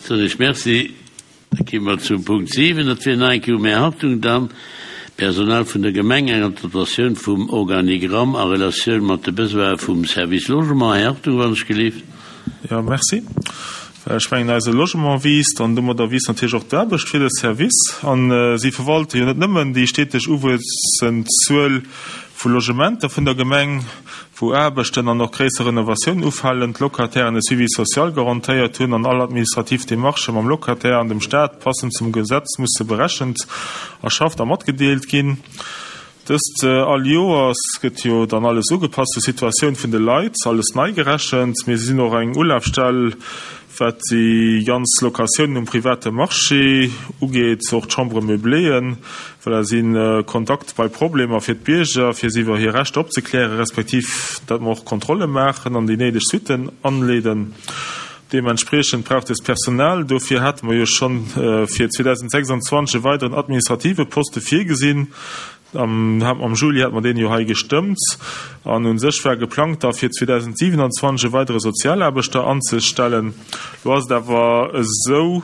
Soen ech Merci. Da gi mer zum Punkt 7, dat wier nach eng Kéier um Här Hartung dann, Personal vun der Gemeng, eng Adaptatioun vum Organigramm a Relatioun mat de Besoine vum Service Logement. Här Hartung, wann ech gelift. Jo, merci. Well ech mengen, eise Logement wiisst an domadder wiisst natierlech och d'Aarbecht fir de Service. A si verwalte jo net nëmmen déi steteg uwuessend Zuel vu Logementer vun der Gemeng, wou Aarbechten an och gréisser Renovatiounen ufalen, d'Locatairen e Suivi social garantéiert hunn an all administrativ Demarchë mam Locataire an dem Staat passend zum Gesetz musse berechent, erschafft a matgedeelt ginn. Dëst all Joers gëtt jo dann alles ugepasst zur Situatioun vun de Leit, alles nei gerechent. Mee si sinn och eng Ulafstell, wat déi ganz Locatiounen um private Marché ugeet, och d'Chambres meubléeën. Voilà, si Kontakt bei Problemer fir d'Bierger, fir si iwwer hir Rechter opzeklären, respektiv dat mer och Kontrolle maachen an déi néideg Suitten anleeden. Deementspriechend braucht dëst Personal. Dofir hate mer jo schonn fir 2026 e weideren administrative Poste virgesinn. Am am Juli hate mer deen jo hei gestëmmt. An u sech war geplangt da fir 2027 e weidere Sozialaarbechter anzestellen. Lo ass et awer esou,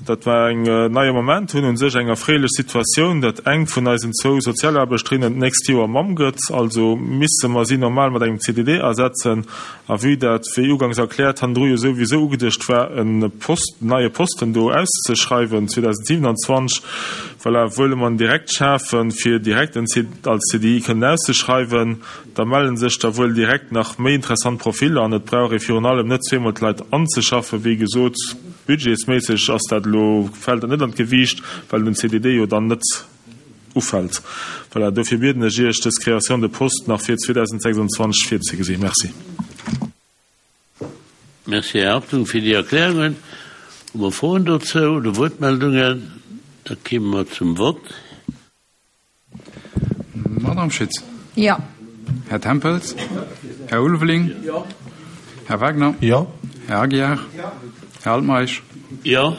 datt mer eng neie Moment hunn, u sech eng erfreelech Situatioun, datt eng vun eisen zwou Sozialaarbechterinnen d'nächst Joer Mamm gëtt. Also misse mer si normal mat engem CDD ersetzen. A vue dat, wéi ugangs erkläert, hannendru jo souwisou ugeduecht war, e Post, neie Posten do auszeschreiwen 2027, voilà, wëlle mer en direkt schafen, fir direkt en als CDI kënnen auszeschreiwen. Da melle sech da wuel direkt nach méi interessant Profiller an et brauch ee virun allem net zweemol d'Leit anzeschaffen. Wéi gesot, budgetsméisseg ass dat elo, fält dat net an d'Gewiicht, well den CDD jo dann net ufält. Voilà, dofir bieden ech Iech, dës Création de poste nach fir 2026 virzegesinn. Merci. Merci, Här Hartung, fir déi Erklärungen. Hu mer Froen dozou oder Wuertmeldungen? Da kéime mer zum Vott. Madame Schütz. Jo. Här Tempels. Här Ulveling. Jo. Här Wagner. Jo. Här Aguiar. Jo. Här Altmeisch. Jo.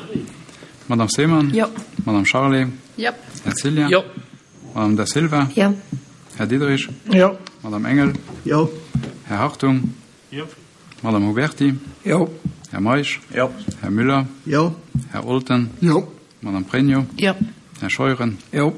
Madame Seemann. Jo. Madame Charlé. Jo. Här Cillien. Jo. Madame Da Silva. Jo. Här Diderich. Jo. Madame Engel. Jo. Här Hartung. Jo. Madame Huberty. Jo. Här Meisch. Jo. Här Müller. Jo. Här Olten. Jo. Madame Pregno. Jo. Här Scheuren. Jo.